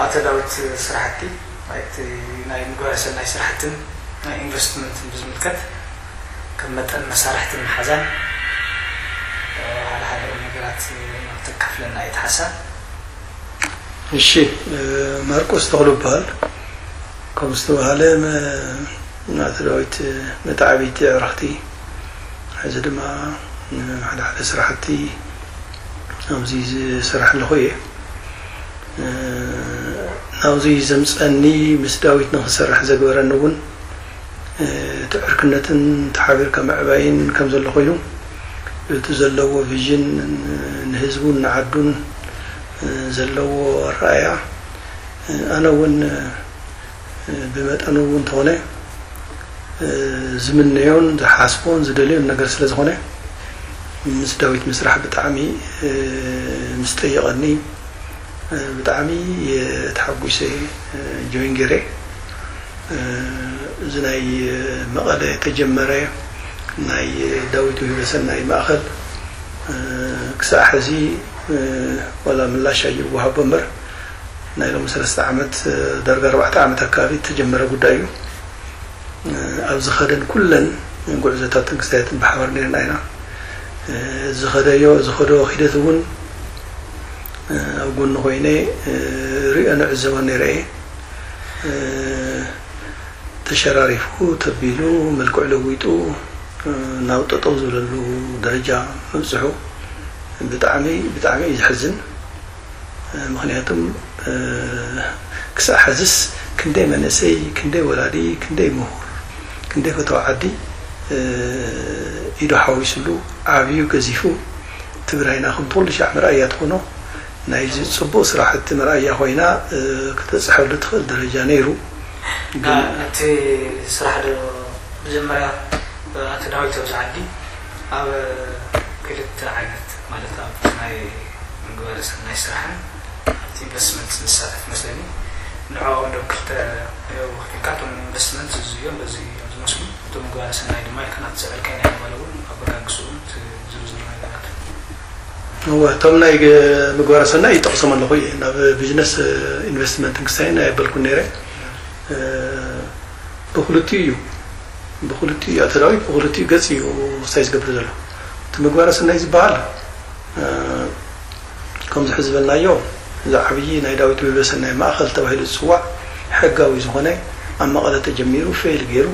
ኣተዳውት ስራሕቲ ናይቲ ናይ ምግባረ ሰናይ ስራሕትን ናይ ኢንቨስትመንትን ብዝምልከት ከም መጠን መሳርሕትን መሓዛን ሓደ ሓደ ነገራት ተካፍለና እየ ሓሳብ። እሺ፣ ማርቆስ ተኽሉ ይበሃል። ከም ዝተባሃለ፣ ኣቶ ዳዊት፣ መተዓብይቲ ኣዕርኽቲ፣ ሕዚ ድማ ሓደ ሓደ ስራሕቲ ኣብዚ ዝሰርሕ ኣለኹ እየ። ናብዚ ዘምፀኒ፣ ምስ ዳዊት ንክሰርሕ ዘግበረኒ እውን እቲ ዕርክነትን ተሓቢርካ ምዕባይን ከም ዘሎ ኮይኑ፣ እቲ ዘለዎ ቪዥን፣ ንህዝቡን ንዓዱን ዘለዎ ኣረኣእያ፣ ኣነ እውን ብመጠኑ እውን እንተኾነ ዝምነዮን ዝሓስቦን ዝደልዮን ነገር ስለ ዝኾነ፣ ምስ ዳዊት ምስራሕ ብጣዕሚ ምስ ጠየቐኒ፣ ብጣዕሚ ተሓጒሰ ጆይን ገይረ። እዚ ናይ መቐለ ተጀመረ ናይ ዳዊት ውህበ ሰናይ ማእኸል ክሳዕ ሕዚ ዋላ ምላሽ ኣይወሃቦ እምበር፣ ናይ ሎሚ ሰለስተ ዓመት፣ ዳርጋ ኣርባዕተ ዓመት ኣካባቢ ተጀመረ ጉዳይ እዩ። ኣብ ዝኸደን ኩለን ጉዕዞታትን ክስታያትን ብሓባር ነርና ኢና። ዝኸደዮ ዝኸዶ ሂደት እውን ኣብ ጎኒ ኮይነ ሪኦ ንዕዘቦ ነይረ እየ። ተሸራሪፉ፣ ተቢሉ፣ መልክዑ ለዊጡ ናብ ጠጠው ዝብለሉ ደረጃ ምብፅሑ ብጣዕሚ ብጣዕሚ እዩ ዘሕዝን። ምክንያቱም ክሳብ ሕዝስ ክንደይ መንእሰይ፣ ክንደይ ወላዲ፣ ክንደይ ምሁር፣ ክንደይ ፈተዋ ዓዲ ኢዱ ሓዊስሉ ዓብዩ ገዚፉ ትግራይና ከምቲ ኩሉ ሻዕ መርኣያ ትኾኖ ናይዚ ፅቡቕ ስራሕቲ መርኣያ ኮይና ክትበፅሐሉ ትኽእል ደረጃ ነይሩ። ግን ነቲ ስራሕ ዶ መጀመርያ ኣቶ ዳዊት ኣብዚ ዓዲ ኣብ ክልተ ዓይነት ማለት ኣብ ናይ ምግባረ ሰናይ ስራሕን ኣብቲ ኢንቨስትመንት ንሳተፍ መስለኒ። ንዕኦም ዶ ክልተ ወኪልካ እቶም ኢንቨስትመንት እዚ እዮም በዚ እዮም ዝመስሉ እቶም ምግባረ ሰናይ ድማ ኢልካ ናብቲ ዘዕልካዮ ናይ መቐለ እውን ኣበጋግስኡ ዝርዝሩ ነገራት እወ እቶም ናይ ምግባረ ሰናይ ይጠቕሶም ኣለኹ እየ ናብ ቢዝነስ ኢንቨስትመንትን ክሳይን ኣየበልኩን ነይረ። ብክልቲኡ እዩ ብክልቲኡ እዩ ኣተዳዊ ብክልቲኡ ገፅ እዩ ክሳይ ዝገብር ዘሎ። እቲ ምግባረ ሰናይ ዝበሃል ከምዚ ሕዚ ዝበልናዮ እዚ ዓብዪ ናይ ዳዊት ውህበ ሰናይ ማእኸል ተባሂሉ ዝፅዋዕ ሕጋዊ ዝኾነ ኣብ መቐለ ተጀሚሩ ፌል ገይሩ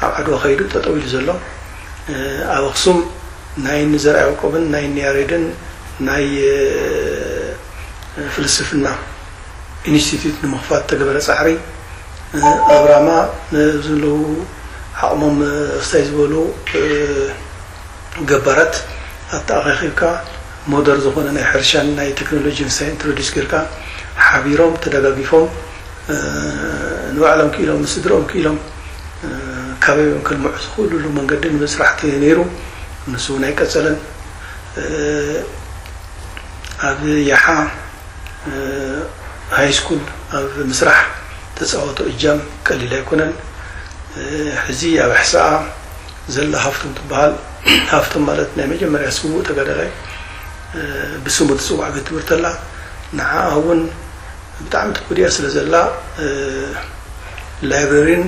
ኣብ ዓድዋ ከይዱ ጠጠው ኢሉ ዘሎ ኣብ ኣክሱም ናይ ንዘርኣ ያዕቆብን ናይ ንያሬድን ናይ ፍልስፍና ኢንስቲትዩት ንምኽፋት ተገበረ ፃዕሪ ኣብ ራማ ንዘለዉ ዓቕሞም ክሳይ ዝበሉ ገባራት ኣተኣኻኺብካ ሞደር ዝኾነ ናይ ሕርሻን ናይ ቴክኖሎጂን ሳይ ኢንትሮዲስ ጌርካ ሓቢሮም ተደጋጊፎም ንባዕሎም ክኢሎም ንስድሮም ክኢሎም ካበዮም ከልምዑ ዝኽእሉሉ መንገዲ ንምስራሕ ነይሩ። ንሱ እውን ኣይቀፀለን። ኣብ ያሓ ሃይ ስኩል ኣብ ምስራሕ ተፃወቶ እጃም ቀሊል ኣይኮነን። ሕዚ ኣብ ኣሕሳኣ ዘላ ሃፍቶም ትበሃል። ሃፍቶም ማለት ናይ መጀመርያ ስዉእ ተጋዳላይ ብስሙ ትፅዋዕ ቤት ትምህርቲ ኣላ። ንዓኣ እውን ብጣዕሚ ተጎዲኣ ስለ ዘላ ላይብረሪን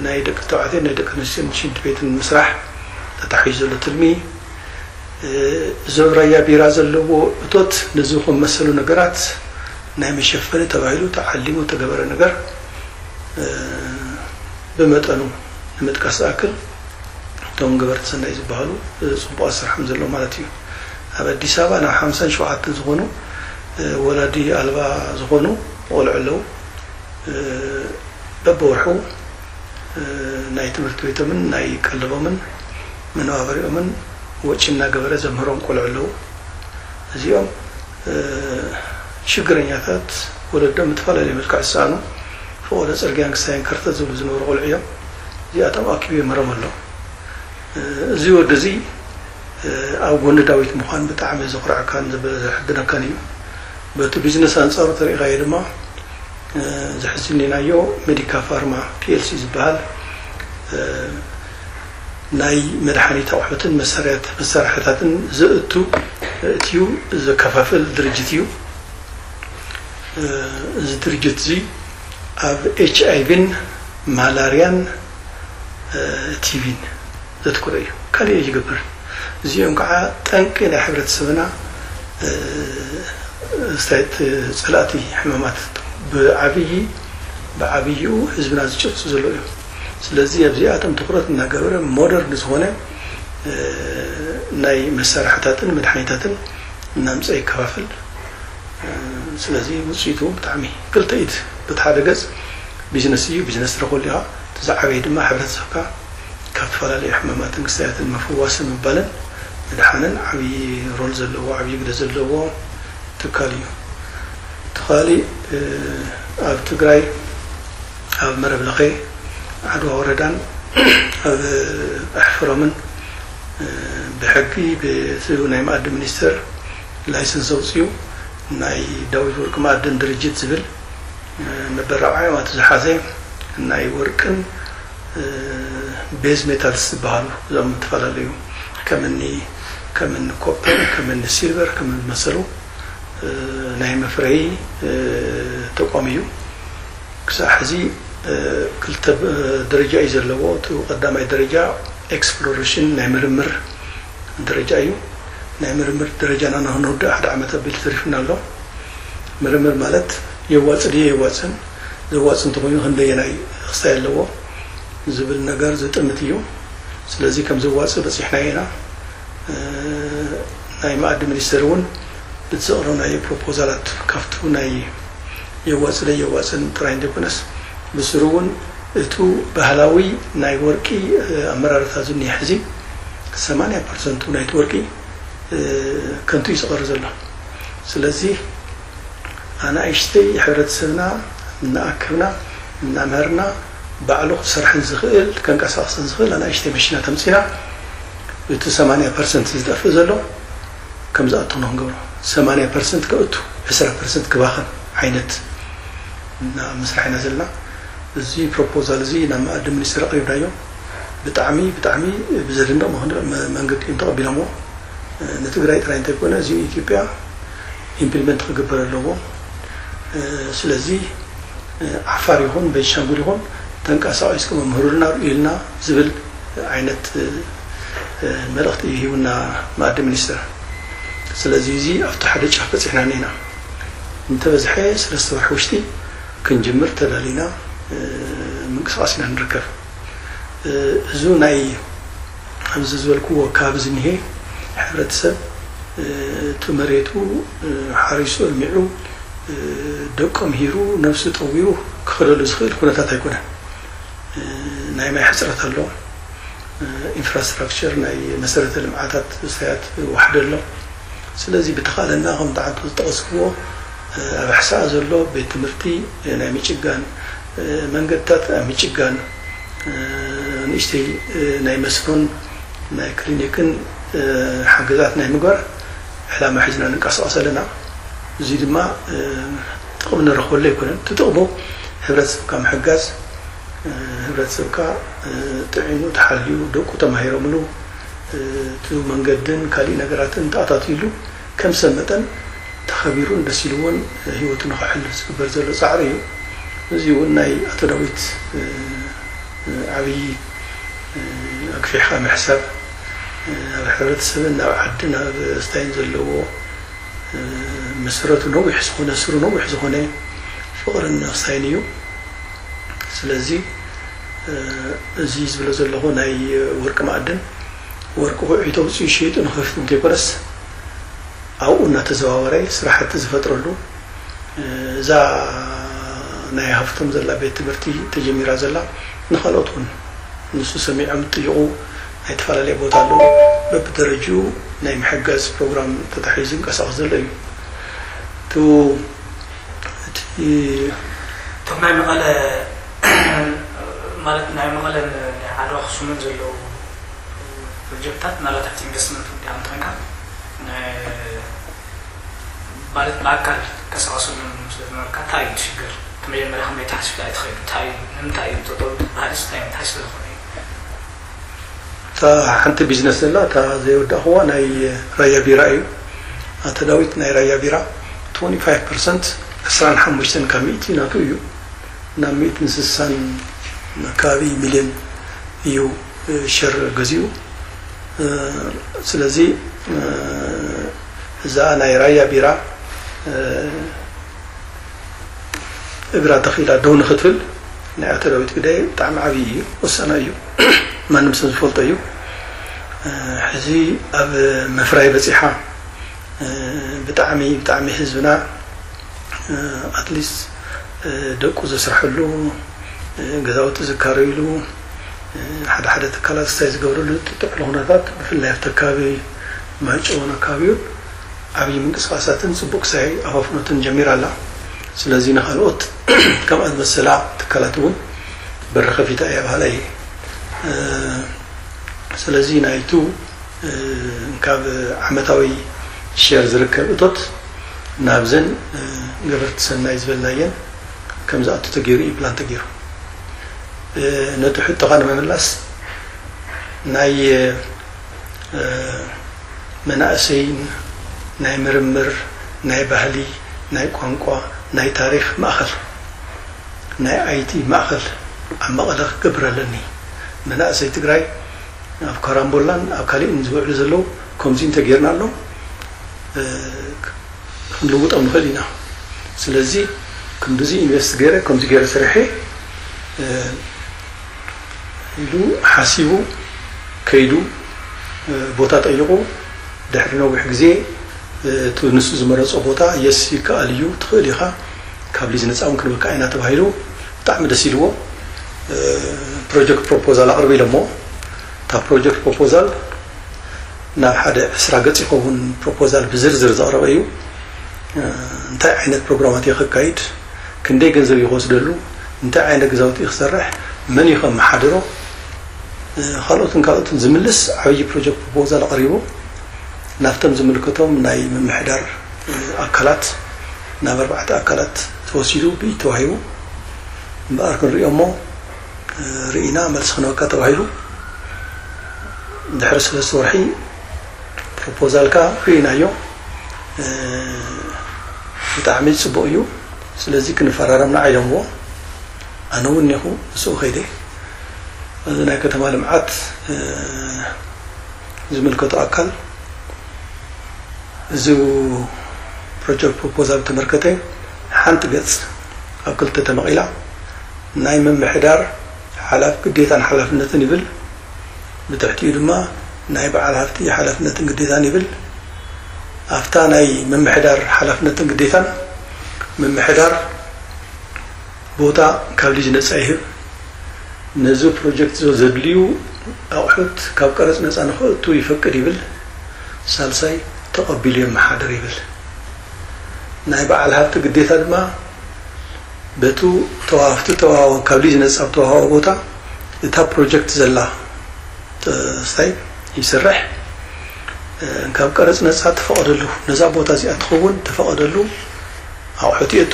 ናይ ደቂ ተባዕትዮን ናይ ደቂ ኣንስትዮን ሽንቲ ቤትን ምስራሕ ተታሒዙ ዘሎ ትልሚ እዞም ራያ ቢራ ዘለዎ እቶት ነዚ ከም መሰሉ ነገራት ናይ መሸፈኒ ተባሂሉ ተዓሊሙ ተገበረ ነገር ብመጠኑ ንምጥቃስ ዝኣክል እቶም ገበርቲ ሰናይ ዝበሃሉ ፅቡቕ ኣስርሖም ዘሎ ማለት እዩ። ኣብ ኣዲስ ኣበባ ናብ ሓምሳን ሸውዓተን ዝኾኑ ወላዲ ኣልባ ዝኾኑ ቆልዑ ኣለዉ። በብወርሑ ናይ ትምህርቲ ቤቶምን ናይ ቀለቦምን መነባበሪኦምን ወጪ እናገበረ ዘምህሮም ቆልዑ ኣለዉ። እዚኦም ሽግረኛታት ወለዶም ብዝተፈላለየ መልክዕ ዝሰኣኑ ፈቆዶ ፅርግያን ክሳይን ከርተት ዝብሉ ዝነበሩ ቆልዑ እዮም። እዚኣቶም ኣኪቡ የምህሮም ኣሎ። እዚ ወዲ እዚ ኣብ ጎኒ ዳዊት ምዃን ብጣዕሚ ዘኹርዐካን ዘሕድነካን እዩ። በቲ ቢዝነስ ኣንፃሩ ተሪኢኻዮ ድማ ዘሕዝኒ ናዮ ሜዲካ ፋርማ ፒኤልሲ ዝበሃል ናይ መድሓኒት ኣቑሑትን መሳርያት መሳርሕታትን ዘእቱ እትዩ ዘከፋፍል ድርጅት እዩ። እዚ ድርጅት እዚ ኣብ ኤች ኣይ ቪን ማላርያን ቲቪን ዘትኩረ እዩ። ካልእ ኣይገብርን። እዚኦም ከዓ ጠንቂ ናይ ሕብረተሰብና፣ ስታይት፣ ፀላእቲ ሕማማት ብዓብዪ ብዓብይኡ ህዝብና ዝጨሱ ዘለዉ እዮም። ስለዚ ኣብዚኣቶም ትኩረት እናገበረ ሞደርን ዝኾነ ናይ መሳርሕታትን መድሓኒታትን እናምፀ ይከፋፍል። ስለዚ ውፅኢቱ ብጣዕሚ ክልተ ኢድ፣ በቲ ሓደ ገጽ ቢዝነስ እዩ፣ ቢዝነስ ትረኽበሉ ኢኻ። እቲ ዝዓበየ ድማ ሕብረተሰብካ ካብ ዝተፈላለዩ ሕማማትን ክስታያትን ምፍዋስን ምባልን ምድሓንን ዓብዪ ሮል ዘለዎ፣ ዓብዪ ግደ ዘለዎ ትካል እዩ። እቲ ካሊእ ኣብ ትግራይ ኣብ መረብ ለኸ ዓድዋ ወረዳን ኣብ ኣሕፈሮምን ብሕጊ ብስሩ ናይ መኣዲ ሚኒስቴር ላይሰንስ ኣውፅኡ ናይ ዳዊት ወርቂ መኣድን ድርጅት ዝብል መበራዓዮም ኣቲ ዝሓዘ ናይ ወርቅን ቤዝ ሜታልስ ዝበሃሉ እዞም ዝተፈላለዩ ከምኒ ከምኒ ኮፐር ከምኒ ሲልቨር ከምኒ ዝመሰሉ ናይ መፍረይ ተቋም እዩ። ክሳዕ ሕዚ ክልተ ደረጃ እዩ ዘለዎ። እቲ ቀዳማይ ደረጃ ኤክስፕሎሬሽን ናይ ምርምር ደረጃ እዩ። ናይ ምርምር ደረጃና ንክንውድእ ሓደ ዓመት ኣቢሉ ተሪፉና ኣሎ። ምርምር ማለት የዋፅ ድየ የዋፅን፣ ዘዋፅ እንተኮይኑ ክንደየናይ ክስታይ ኣለዎ ዝብል ነገር ዝጥምት እዩ። ስለዚ ከም ዘዋፅ በፂሕና ኢና። ናይ መኣዲ ሚኒስቴር እውን ብዝቕረብናዮ ፕሮፖዛላት ካብቱ ናይ የዋፅለ የዋፅን ጥራይ እንተይኮነስ ብስሩ እውን እቱ ባህላዊ ናይ ወርቂ ኣመራርታ ዝኒሀ ሕዚ ሰማንያ ፐርሰንቱ ናይቲ ወርቂ ከንቱ እዩ ዝቐር ዘሎ። ስለዚ ኣናእሽተይ ሕብረተሰብና እናኣከብና እናምሃርና ባዕሉ ክሰርሐን ዝኽእል ከንቀሳቕሰን ዝኽእል ኣናእሽተይ መሽናት ኣምፂና እቲ ሰማንያ ፐርሰንት ዝጠፍእ ዘሎ ከም ዝኣቱ ንክንገብሮ ሰማንያ ፐርሰንት ከእቱ ዕስራ ፐርሰንት ክባኸን ዓይነት እና ምስራሕ ኢና ዘለና። እዚ ፕሮፖዛል እዚ ናብ መኣዲ ሚኒስትር ኣቕሪብናዮ። ብጣዕሚ ብጣዕሚ ብዘደንቕ መኸንድ- መ- መንገዲ እዮም ተቐቢሎምዎ። ንትግራይ ጥራይ እንተይኮነ እዚ ኢትዮጵያ ኢምፕሊመንት ክግበር ኣለዎ። ስለዚ ዓፋር ይኹን ቤንሻንጉል ይኹን ተንቀሳቒስኩም መምህሩልና ርእዩልና ዝብል ዓይነት መልእኽቲ እዩ ሂቡና መኣዲ ሚኒስትር። ስለዚ እዚ ኣብቲ ሓደ ጫፍ በፂሕና እኒና እንተበዝሐ ሰለስተ ወርሒ ውሽጢ ክንጅምር ተዳሊና ምንቅስቃስ ኢና ንርከብ። እዚ ናይ ኣብዚ ዝበልክዎ ከባቢ ዝኒሄ ሕብረተሰብ እቲ መሬቱ ሓሪሱ እልሚዑ ደቆም ሂሩ ነብሱ ጠዊሩ ክኸደሉ ዝኽእል ኩነታት ኣይኮነን። ናይ ማይ ሕፅረት ኣሎ። ኢንፍራስትራክቸር ናይ መሰረተ ልምዓታት ስታያት ዋሕደ ኣሎ። ስለዚ ብተኻለና ከም ተዓንቶ ዝጠቐስክዎ ኣብ ኣሕሳኣ ዘሎ ቤት ትምህርቲ ናይ ምጭጋን መንገድታት ኣብ ምጭጋን ንእሽተይ ናይ መስኖን ናይ ክሊኒክን ሓገዛት ናይ ምግባር ዕላማ ሒዝና ንንቀሳቐስ ኣለና። እዚ ድማ ጥቕሚ ንረኽበሉ ኣይኮነን። እቲ ጥቕሙ ሕብረተሰብካ ምሕጋዝ፣ ሕብረተሰብካ ጥዒኑ ተሓልዩ ደቁ ተማሂሮምሉ እቲ መንገድን ካሊእ ነገራትን ተኣታትዩሉ ከም ሰብ መጠን ተኸቢሩን ደስ ኢልዎን ህይወቱ ንኸሕልፍ ዝግበር ዘሎ ፃዕሪ እዩ። እዚ እውን ናይ ኣቶ ዳዊት ዓብዪ ኣግፊሕካ ምሕሳብ ኣብ ሕብረተሰብን ኣብ ዓድን ኣብ ስታይን ዘለዎ መሰረቱ ነዊሕ ዝኾነ ስሩ ነዊሕ ዝኾነ ፍቕርን ምሕሳይን እዩ። ስለዚ እዚ ዝብሎ ዘለኹ ናይ ወርቂ ማዕድን ወርቂ ኩዒ ተውፅኡ ሸይጡ ንኸፍት እንተይኮነስ ኣብኡ እናተዘዋወረ ስራሕቲ ዝፈጥረሉ እዛ ናይ ሃፍቶም ዘላ ቤት ትምህርቲ ተጀሚራ ዘላ ንካልኦት እውን ንሱ ሰሚዖም ጥይቑ ናይ ተፈላለየ ቦታ ኣለዉ በብደረጅኡ ናይ ምሕጋዝ ፕሮግራም ተታሒዙ ይንቀሳቐስ ዘሎ እዩ። እቲ እቶም ናይ መቐለ ማለት ናይ መቐለን ናይ ዓድዋ ኣኽሱምን ዘለዉ ፕሮጀክትታት ምናልባት ኣብቲ ኢንቨስትመንት ወዲኣ እንተኾንካ ማለት ብኣካል ትንቀሳቐሰሎም ስለ ዝነበርካ እንታይ እዩ እቲ ሽግር? እቲ መጀመርያ ከመይ ተሓሲብካ እዩ ተኸይዱ? እንታይ እዩ ንምንታይ እዩ ጠጠው ዝበሃል እንታይ እንታይ ስለ ዝኾነ እዩ? እታ ሓንቲ ቢዝነስ ዘላ እታ ዘይወዳእኽዋ ናይ ራያ ቢራ እዩ። ኣቶ ዳዊት ናይ ራያ ቢራ ትወንቲ ፋይቭ ፐርሰንት ዕስራን ሓሙሽተን ካብ ሚእቲ ናቱ እዩ። ናብ ሚእትን ስሳን ኣካባቢ ሚልዮን እዩ ሸር ገዚኡ። ስለዚ እዛ ናይ ራያ ቢራ እግራ ተኺላ ደው ንክትብል ናይ ኣቶ ዳዊት ግደ ብጣዕሚ ዓብዪ እዩ፣ ወሳና እዩ። ማንም ሰብ ዝፈልጦ እዩ። ሕዚ ኣብ ምፍራይ በፂሓ። ብጣዕሚ ብጣዕሚ ህዝብና ኣትሊስት ደቁ ዘስርሐሉ፣ ገዛውቲ ዝካረይሉ፣ ሓደ ሓደ ትካላት ስታይ ዝገብረሉ ጥጥዕሎ ኩነታት፣ ብፍላይ ኣብቲ ኣካባቢ ማይጨውን ኣካባቢውን ዓብዪ ምንቅስቃሳትን ፅቡቅ ክሳይ ኣፋፍኖትን ጀሚራ ኣላ። ስለዚ ንካልኦት ከምኣ ዝመሰላ ትካላት እውን በሪ ከፊታ እያ በሃላ እየ። ስለዚ ናይቱ ካብ ዓመታዊ ሸር ዝርከብ እቶት ናብዘን ገበርቲ ሰናይ ዝበልናየን ከም ዝኣቱ ተገይሩ እዩ ፕላን ተገይሩ። ነቲ ሕቶኻ ንምምላስ ናይ መናእሰይን ናይ ምርምር፣ ናይ ባህሊ፣ ናይ ቋንቋ፣ ናይ ታሪኽ ማእኸል፣ ናይ ኣይቲ ማእኸል ኣብ መቐለ ክገብር ኣለኒ። መናእሰይ ትግራይ ኣብ ካራምቦላን ኣብ ካሊእን ዝውዕሉ ዘለዉ ከምዚ እንተጌርናሎም ክንልውጦም ንኽእል ኢና። ስለዚ ክንድዚ ኢንቨስት ገይረ ከምዚ ገይረ ሰሪሐ ኢሉ ሓሲቡ ከይዱ ቦታ ጠይቑ ድሕሪ ነዊሕ ግዜ እቲ ንሱ ዝመረፆ ቦታ የስ ይከኣል እዩ ትኽእል ኢኻ ካብ ሊዝ ነፃ እውን ክንበካ ኢና ተባሂሉ ብጣዕሚ ደስ ኢልዎ ፕሮጀክት ፕሮፖዛል ኣቕርብ ኢሎሞ እታ ፕሮጀክት ፕሮፖዛል ናብ ሓደ ዕስራ ገጽ ይኸውን ፕሮፖዛል ብዝርዝር ዘቕረበ እዩ። እንታይ ዓይነት ፕሮግራማት እዩ ከካይድ፣ ክንደይ ገንዘብ እዩ ክወስደሉ፣ እንታይ ዓይነት ገዛውቲ እዩ ክሰርሕ፣ መን እዩ ከመሓድሮ፣ ካልኦትን ካልኦትን ዝምልስ ዓብዪ ፕሮጀክት ፕሮፖዛል ኣቕሪቡ ናብቶም ዝምልከቶም ናይ ምምሕዳር ኣካላት ናብ ኣርባዕተ ኣካላት ተወሲዱ ብኢድ ተዋሂቡ እምበኣር ክንሪኦ እሞ ርኢና መልሲ ክንበካ ተባሂሉ ድሕሪ ሰለስተ ወርሒ ፕሮፖዛልካ ርኢናዮ ብጣዕሚ ፅቡቅ እዩ ስለዚ ክንፈራረምና ዓይለምዎ ኣነ እውን እኒኹ ምስኡ ከይደ እዚ ናይ ከተማ ልምዓት ዝምልከቶ ኣካል እዚ ፕሮጀክት ፕሮፖዛል ተመልከተ ሓንቲ ገፅ ኣብ ክልተ ተመቒላ ናይ ምምሕዳር ሓላፍ ግዴታን ሓላፍነትን ይብል ብትሕቲኡ ድማ ናይ በዓል ሃፍቲ ሓላፍነትን ግዴታን ይብል ኣብታ ናይ ምምሕዳር ሓላፍነትን ግዴታን ምምሕዳር ቦታ ካብ ሊዝ ነፃ ይህብ ነዚ ፕሮጀክት ዘድልዩ ኣቑሑት ካብ ቀረፅ ነፃ ንክእቱ ይፈቅድ ይብል ሳልሳይ ተቐቢሉ የመሓድር ይብል ናይ በዓል ሃብቲ ግዴታ ድማ በቱ ተዋሃብቲ ተዋሃወ ካብ ሊዝ ነፃ ተዋሃወ ቦታ እታ ፕሮጀክት ዘላ ስታይ ይስራሕ ካብ ቀረፅ ነፃ ተፈቐደሉ ነዛ ቦታ እዚኣ ትኸውን ተፈቐደሉ ኣቑሑት የእቱ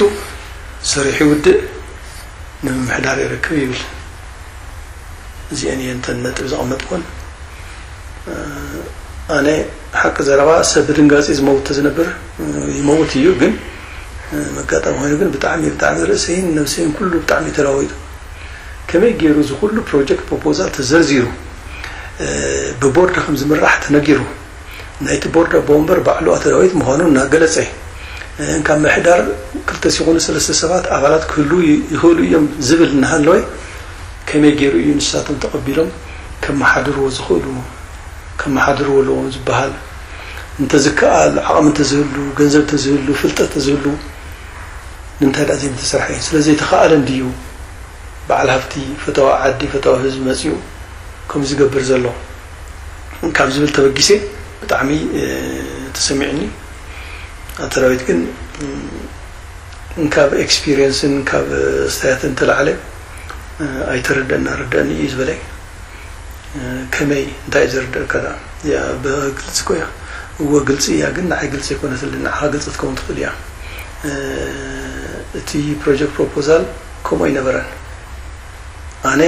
ስሪሑ ይውድእ ንምምሕዳር ይረክብ ይብል እዚአን እየን ተን ነጥብ ዘቐመጥኩን ኣነ ሓቂ ዘረባ ሰብ ብድንጋፂ ዝመውት ዝነብር ይመውት እዩ ግን መጋጠሚ ኮይኑ ግን ብጣዕሚ ብጣዕሚ ርእሰይን ነብሰይን ኩሉ ብጣዕሚ ተለዋዊጡ ከመይ ገይሩ እዚ ኩሉ ፕሮጀክት ፕሮፖዛል ተዘርዚሩ ብቦርድ ከም ዝምራሕ ተነጊሩ ናይቲ ቦርድ ኣቦ ወንበር ባዕሉ ኣቶ ዳዊት ምዃኑ እናገለጸ ካብ ምሕዳር ክልተ ሲኾኑ ሰለስተ ሰባት ኣባላት ክህሉ ይኽእሉ እዮም ዝብል እናሃለወ ከመይ ገይሩ እዩ ንሳቶም ተቐቢሎም ከመሓድርዎ ዝኽእሉ ከመሓድርዎ ኣለዎም ዝበሃል እንተዝከኣል ዓቕሚ እንተዝህሉ ገንዘብ እንተዝህሉ ፍልጠት እንተዝህሉ ንምንታይ ደኣ ዘይምተሰርሐ እዩ ስለዘይተኸኣለ እንድዩ በዓል ሃፍቲ ፈተዋ ዓዲ ፈተዋ ህዝቢ መፅኡ ከም ዝገብር ዘሎ ካብ ዝብል ተበጊሰ ብጣዕሚ ተሰሚዕኒ ኣተራዊት ግን ካብ ኤክስፒሪየንስን ካብ ስታያትን ተላዕለ ኣይተረደና ረደእኒ እዩ ዝበለይ ከመይ እንታይ እዩ ዝርደእካ ደኣ እዚኣ ብግልፂ እኮ እያ እወ ግልፂ እያ ግን ንዓይ ግልፂ ኣይኮነትልን ንዓኻ ግልፂ ክትከውን ትኽእል እያ እቲ ፕሮጀክት ፕሮፖዛል ከምኡ ኣይነበረን ኣነ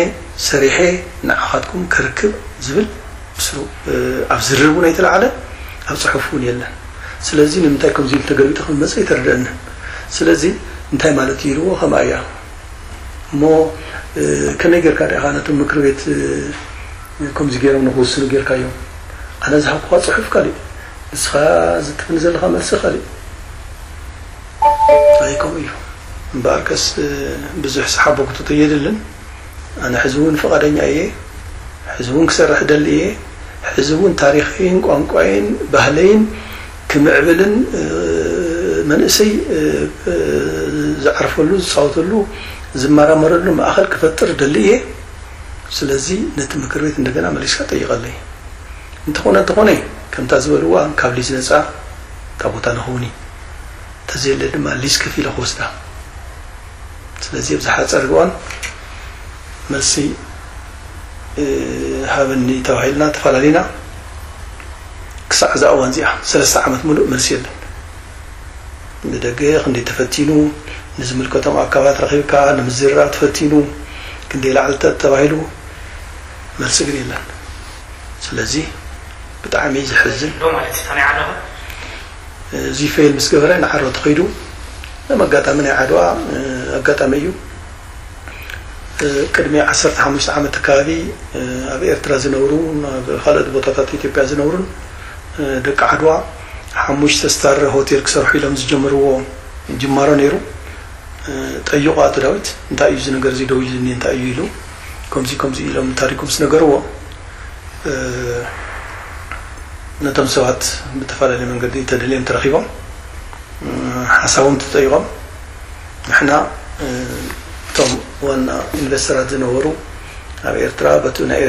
ሰሪሐ ንዓኻትኩም ከርክብ ዝብል ምስሉ ኣብ ዝርርብ እውን ኣይተላዓለ ኣብ ፅሑፍ እውን የለን ስለዚ ንምንታይ ከምዚ ኢሉ ተገልቢጡ ከም መፀ ኣይተረደአንን ስለዚ እንታይ ማለት እዩ ኢልዎ። ከምኣ እያ እሞ፣ ከመይ ጌርካ ዲኻ ነቶም ምክር ቤት ከምዚ ገይሮም ንክውስኑ ጌርካዮም? ኣነ ዝሃብኩኻ ጽሑፍ ካሊእ፣ ንስኻ ዝትፍን ዘለኻ መልሲ ካሊእ። ኣይከምኡ እዩ። እምበኣርከስ ብዙሕ ሰሓቦ ክተቶ የድልን። ኣነ ሕዚ እውን ፍቓደኛ እየ። ሕዚ እውን ክሰርሕ ደሊ እየ። ሕዚ እውን ታሪኸይን ቋንቋይን ባህለይን ክምዕብልን መንእሰይ ዝዓርፈሉ፣ ዝፃወተሉ፣ ዝመራመረሉ ማእኸል ክፈጥር ደሊ እየ። ስለዚ ነቲ ምክር ቤት እንደገና መሊስካ ጠይቐለይ። እንተኾነ እንተኾነ ከምታ ዝበልዋ ካብ ሊዝ ነፃ እታ ቦታ ንኸውን እዩ። እንተዘየለ ድማ ሊዝ ከፊለ ክወስዳ። ስለዚ ኣብዚ ሓፀር እዋን መልሲ ሃበኒ ተባሂልና ተፈላለና። ክሳዕ እዛ እዋን እዚኣ ሰለስተ ዓመት ሙሉእ መልሲ የለን። ብደገ ክንደይ ተፈቲኑ፣ ንዝምልከቶም ኣካላት ረኺብካ ንምዝርራብ ተፈቲኑ፣ ክንደይ ላዕልታት ተባሂሉ፣ መልሲ ግን የለን። ስለዚ ብጣዕሚ ዘሕዝን። ዶ ማለት እዩ፣ ከመይ ዓለኹ? እዚ ፌል ምስ ገበረ ንዓሮ ተኸይዱ። ከም ኣጋጣሚ ናይ ዓድዋ ኣጋጣሚ እዩ። ቅድሚ ዓሰርተ ሓሙሽተ ዓመት ኣካባቢ ኣብ ኤርትራ ዝነብሩ፣ ኣብ ካልኦት ቦታታት ኢትዮጵያ ዝነብሩን ደቂ ዓድዋ ሓሙሽተ ስታር ሆቴል ክሰርሑ ኢሎም ዝጀመርዎ ጅማሮ ነይሩ። ጠይቑ ኣቶ ዳዊት፣ እንታይ እዩ እዚ ነገር እዚ ደው ኢሉኒ እንታይ እዩ ኢሉ፣ ከምዚ ከምዚ ኢሎም ታሪኩም ስነገርዎ፣ ነቶም ሰባት ብተፈላለየ መንገዲ ተደልዮም ተረኺቦም ሓሳቦም ተጠይቖም፣ ንሕና እቶም ዋና ኢንቨስተራት ዝነበሩ ኣብ ኤርትራ በቲ ናይ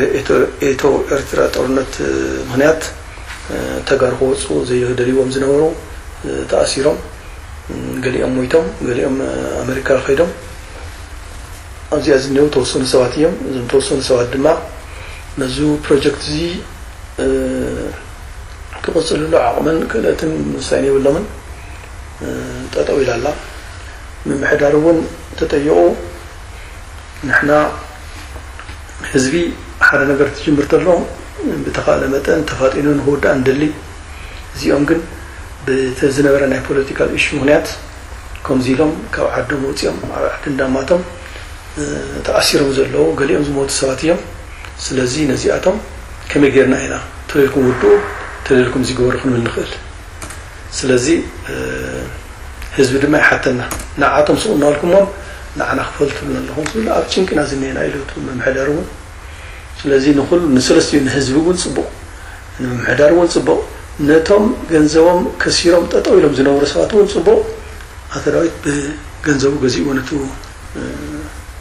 ኤቶ ኤርትራ ጦርነት ምኽንያት ተጋሩ ክወፁ ዘይደልዎም ዝነበሩ ተኣሲሮም፣ ገሊኦም ሞይቶም፣ ገሊኦም ኣመሪካ ከይዶም። ኣብዚኣ ዝኒአው ተወሰኑ ሰባት እዮም። እዞም ተወሰኑ ሰባት ድማ ነዚ ፕሮጀክት እዚ ክቕፅልሉ ዓቕምን ክእለትን ምሳይን የብሎምን። ጠጠው ኢላ ኣላ። ምምሕዳር እውን ተጠይቑ፣ ንሕና ህዝቢ ሓደ ነገር ትጅምር ተሎ ብተኻእለ መጠን ተፋጢኑ ንክውዳእ ንደሊ። እዚኦም ግን ብቲ ዝነበረ ናይ ፖለቲካል ኢሹ ምኽንያት ከምዚ ኢሎም ካብ ዓዶም ወፂኦም ኣብ ዓዲ እንዳማቶም ተኣሲሮም ዘለዉ፣ ገሊኦም ዝሞቱ ሰባት እዮም። ስለዚ ነዚኣቶም ከመይ ጌርና ኢና ተደልኩም ውድኡ፣ ተደልኩም እዚ ግበሩ ክንብል ንኽእል? ስለዚ ህዝቢ ድማ ይሓተና። ንዓቶም ስቕ እናበልኩሞም ንዓና ክፈሉ ትብሉና ኣለኹም ትብል ኣብ ጭንቅና ዝኒአና ኢሉ እቲ ምምሕዳር እውን። ስለዚ ንኹሉ ንሰለስቲኡ ንህዝቢ እውን ፅቡቕ፣ ንምምሕዳር እውን ፅቡቕ፣ ነቶም ገንዘቦም ከሲሮም ጠጠው ኢሎም ዝነበሩ ሰባት እውን ፅቡቕ። ኣቶ ዳዊት ብገንዘቡ ገዚእዎ ነቲ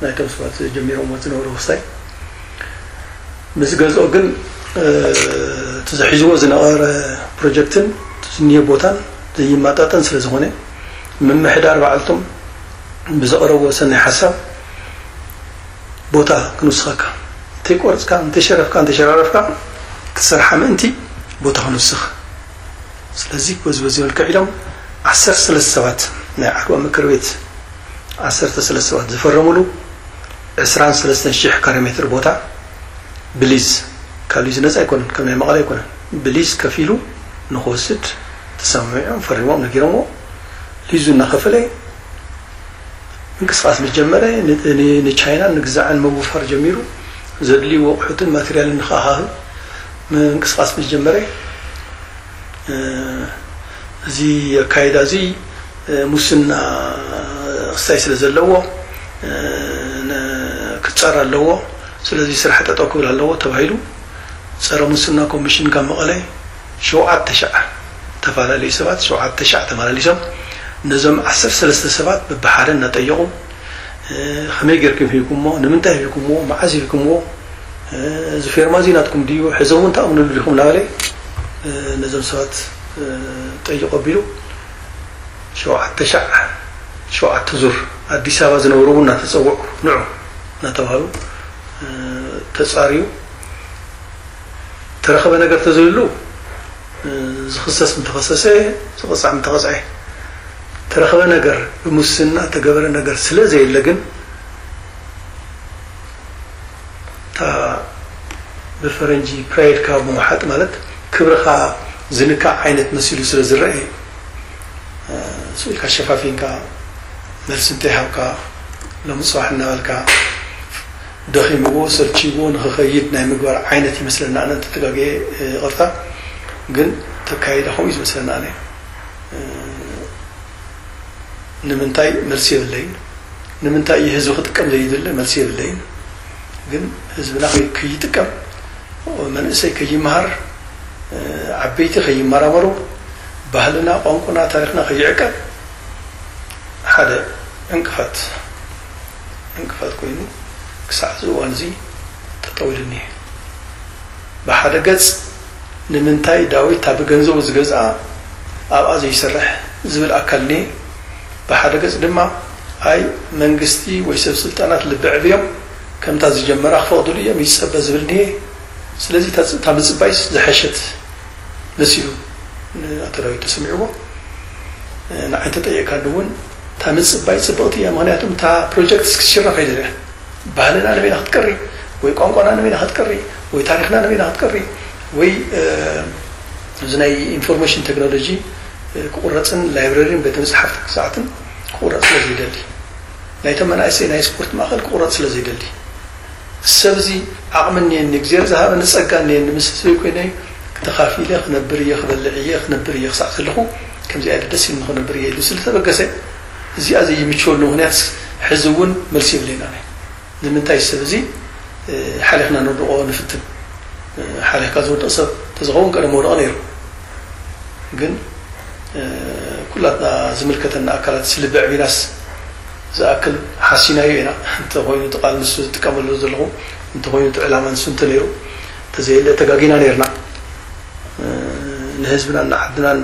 ናይቶም ሰባት ጀሚሮምዎ ዝነበሩ ውሳይ ምስ ገዝኦ ግን እቲ ዝሒዝዎ ዝነበረ ፕሮጀክትን ዝኒሀ ቦታን ዘይማጣጠን ስለ ዝኾነ ምምሕዳር ባዕልቶም ብዘቕረብዎ ሰናይ ሓሳብ ቦታ ክንውስኸካ እንተይቆርፅካ እንተይሸረፍካ እንተይሸራረፍካ ክትሰርሓ ምእንቲ ቦታ ክንውስኽ። ስለዚ በዚ በዚ መልክዕ ኢሎም ዓሰርተ ሰለስተ ሰባት ናይ ዓድዋ ምክር ቤት ዓሰርተ ሰለስተ ሰባት ዝፈረሙሉ ዕስራን ሰለስተን ሽሕ ካሬ ሜትር ቦታ ብሊዝ ካብ ሊዝ ነፃ ኣይኮነን፣ ከም ናይ መቐለ ኣይኮነን፣ ብሊዝ ከፊሉ ንክወስድ ተሰማሚዖም ፈሪሞም ነጊሮምዎ። ሊዙ እናኸፈለ ምንቅስቃስ ምስ ጀመረ ንቻይናን ንግዛዕን ምውፋር ጀሚሩ። ዘድልዩ ኣቑሑትን ማቴሪያልን ንክኣኻኽብ ምንቅስቃስ ምስ ጀመረ እዚ ኣካይዳ እዚ ሙስና ክስታይ ስለ ዘለዎ ክፀር ኣለዎ። ስለዚ ስራሕ ጠጠው ክብል ኣለዎ ተባሂሉ ፀረ ሙስና ኮሚሽን ካብ መቐለ ሸውዓተ ሻዕ ተፈላለዩ ሰባት ሸውዓተ ሻዕ ተመላሊሶም ነዞም ዓሰርተ ሰለስተ ሰባት በብሓደ እናጠየቑ ከመይ ጌርኩም ሂብኩሞ፣ ንምንታይ ሂብኩሞ፣ መዓዝ ሂብኩሞ፣ እዚ ፌርማ እዚ ናትኩም ድዩ፣ ሕዚ እውን ተኣምንሉ ዲኹም እናበለ ነዞም ሰባት ጠይቆ ኣቢሉ ሸውዓተ ሻዕ ሸውዓተ ዙር ኣዲስ ኣበባ ዝነብሩ እውን እናተፀውዑ ንዑ እናተባሃሉ ተፃርዩ ተረኸበ ነገር ተዘይሉ ዝኽሰስ ምተኸሰሰ ዝቕፃዕ ምተቐፅዐ ተረኸበ ነገር ብሙስና ተገበረ ነገር ስለ ዘየለ ግን እታ ብፈረንጂ ፕራይድካ ምውሓጥ ማለት ክብርኻ ዝንካእ ዓይነት መሲሉ ስለ ዝረአ ስኢልካ ሸፋፊንካ መልሲ እንተይሃብካ፣ ሎሚ ጽባሕ እናበልካ ደኺምዎ ሰልችይዎ ንኽኸይድ ናይ ምግባር ዓይነት ይመስለና። ኣነ እንተተጋግየ ይቕርታ። ግን ተካይዳ ከምኡ እዩ ዝመስለና። ኣነ ንምንታይ መልሲ የብለይን። ንምንታይ እዩ ህዝቢ ክጥቀም ዘይደሊ? መልሲ የብለይን። ግን ህዝብና ከይ- ከይጥቀም፣ መንእሰይ ከይመሃር፣ ዓበይቲ ከይመራመሩ፣ ባህልና፣ ቋንቋና፣ ታሪኽና ከይዕቀብ ሓደ ዕንቅፋት ዕንቅፋት ኮይኑ ክሳዕ እዚ እዋን እዚ ጠጠው ኢሉ እኒሀ። ብሓደ ገጽ ንምንታይ ዳዊት እታ ብገንዘቡ ዝገዝኣ ኣብኣ ዘይሰርሕ ዝብል ኣካል እኒሀ። ብሓደ ገጽ ድማ ኣይ መንግስቲ ወይ ሰብ ስልጣናት ልቢ ዕብዮም ከምታ ዝጀመራ ክፈቕድሉ እዮም ይጸበ ዝብል እኒሀ። ስለዚ እታ ምጽባይስ ዝሐሸት መሲሉ ንኣቶ ዳዊት ተሰሚዕዎ። ንዓይ እንተጠየቅካኒ እውን እታ ምጽባይ ጽብቕቲ እያ። ምክንያቱም እታ ፕሮጀክት ክትሽረፍ ኣይደልያ። ባህልና ንበይና ክትቀሪ ወይ ቋንቋና ንበይና ክትቀሪ ወይ ታሪኽና ንበይና ክትቀሪ ወይ እዚ ናይ ኢንፎርሜሽን ቴክኖሎጂ ክቁረፅን ላይብረሪን ቤተ መፅሓፍቲ ክሰዓትን ክቁረፅ ስለ ዘይደሊ ናይቶም መናእሰይ ናይ ስፖርት ማእኸል ክቁረፅ ስለ ዘይደሊ ሰብ እዚ ዓቕሚ እኒአኒ እግዚኣብሔር ዝሃበኒ ፀጋ እኒአኒ ምስ ህዝበይ ኮይነ ተኻፊለ ክነብር እየ ክበልዕ እየ ክነብር እየ ክሳዕ ዘለኹ ከምዚ ዓይነት ደስ ኢልኒ ክነብር እየ ኢሉ ስለተበገሰ እዚኣ ዘይምችወሉ ምክንያት ሕዚ እውን መልሲ የብለይና። ንምንታይ ሰብ እዚ ሓሊኽና ንወድቆ ንፍትን? ሓሊኽካ ዝወድቕ ሰብ ተዝኸውን ቀደም ወደቐ ነይሩ። ግን ኩላትና ዝምልከተና ኣካላት ስልቢ ዕቢናስ ዝኣክል ሓሲናዮ ኢና። እንተኾይኑ እቲ ቃል ንሱ ዝጥቀመሉ ዘለኹ እንተኾይኑ እቲ ዕላማ ንሱ እንተነይሩ ተዘየለ ተጋጊና ነይርና። ንህዝብናን ንዓድናን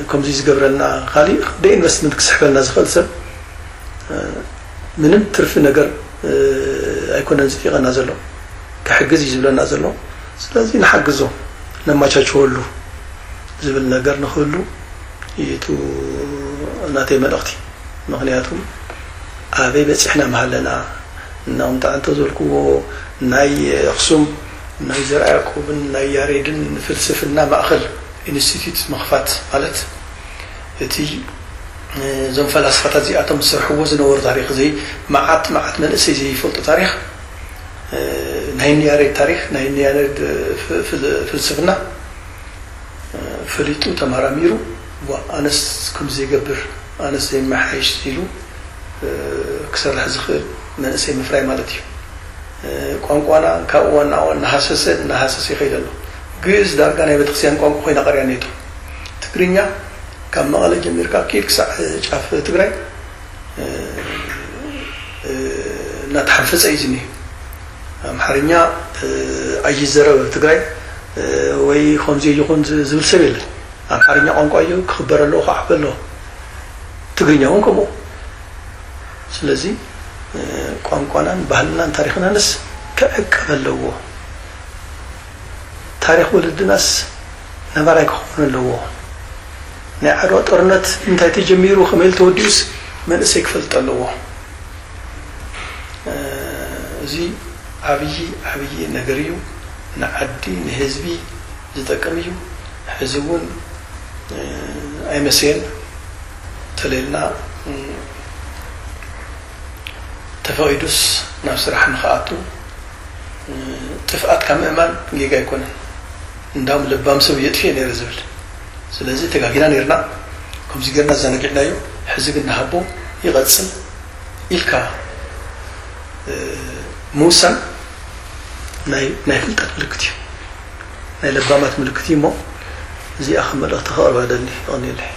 ከምዚ ዝገብረልና ካሊእ ደ ኢንቨስትመንት ክስሕበልና ዝኽእል ሰብ ምንም ትርፊ ነገር ኣይኮነን ዝፊቐና ዘሎ ክሕግዝ እዩ ዝብለና ዘሎ። ስለዚ ንሓግዞ ነማቻችወሉ ዝብል ነገር ንኽህሉ እዩ ናተይ መልእኽቲ። ምኽንያቱም ኣበይ በፂሕና መሃለና እናቕምጣ እንተ ዘልክዎ ናይ ኣኽሱም ናይ ዘርኣ ያዕቆብን ናይ ያሬድን ፍልስፍና ማእኸል ኢንስቲትዩት ምኽፋት ማለት እቲ እዞም ፈላስፋታት እዚኣቶም ዝሰርሕዎ ዝነበሩ ታሪክ እዚ መዓት መዓት መንእሰይ ዘይፈልጡ ታሪክ ናይ ንያሬድ ታሪክ ናይ ንያሬድ ፍልስፍና ፈሊጡ ተመራሚሩ ኣነስ ከም ዘይገብር ኣነስ ዘይመሓይሽ ኢሉ ክሰርሕ ዝኽእል መንእሰይ ምፍራይ ማለት እዩ። ቋንቋና ካብ እዋን ናብ እዋን እናሃሰሰ እናሃሰሰ ይኸይድ ኣሎ። ግእዝ ዳርጋ ናይ ቤተክርስትያን ቋንቋ ኮይና ቀርያ ኔቶ። ትግርኛ ካብ መቐለ ጀሚርካ ኪድ ክሳዕ ጫፍ ትግራይ እናተሓንፈፀ እዩ ዝኒህ። ኣምሓርኛ ኣይዘረብ ኣብ ትግራይ ወይ ከምዚ ይኹን ዝብል ሰብ የለን። ኣምሓርኛ ቋንቋ እዩ ክኽበር ኣለዎ ክዓቢ ኣለዎ። ትግርኛ እውን ከምኡ። ስለዚ ቋንቋናን ባህልናን ታሪኽናንስ ክዕቀብ ኣለዎ። ታሪኽ ወለድናስ ነባራይ ክኸውን ኣለዎ። ናይ ዓድዋ ጦርነት እንታይ ተጀሚሩ ከመይ ኢሉ ተወዲኡስ መንእሰይ ክፈልጥ ኣለዎ። እዚ ዓብዪ ዓብዪ ነገር እዩ። ንዓዲ ንህዝቢ ዝጠቅም እዩ። ሕዚ እውን ኣይመሰየን ተለልና ተፈቒዱስ ናብ ስራሕ ንኽኣቱ ጥፍኣት ካብ ምእማን ጌጋ ኣይኮነን። እንዳውም ለባም ሰብ የጥፍኤ ነይረ ዝብል። ስለዚ ተጋጊና ነይርና፣ ከምዚ ጌርና ዘነጊዕናዮ፣ ሕዚ ግን ንሃቦ ይቐጽል ኢልካ ምውሳን ናይ ፍልጠት ምልክት እዩ። ናይ ለባማት ምልክት እዩ እሞ እዚኣ ከም መልእኽቲ ከቕርባ ደሊ ይቐኒለይ።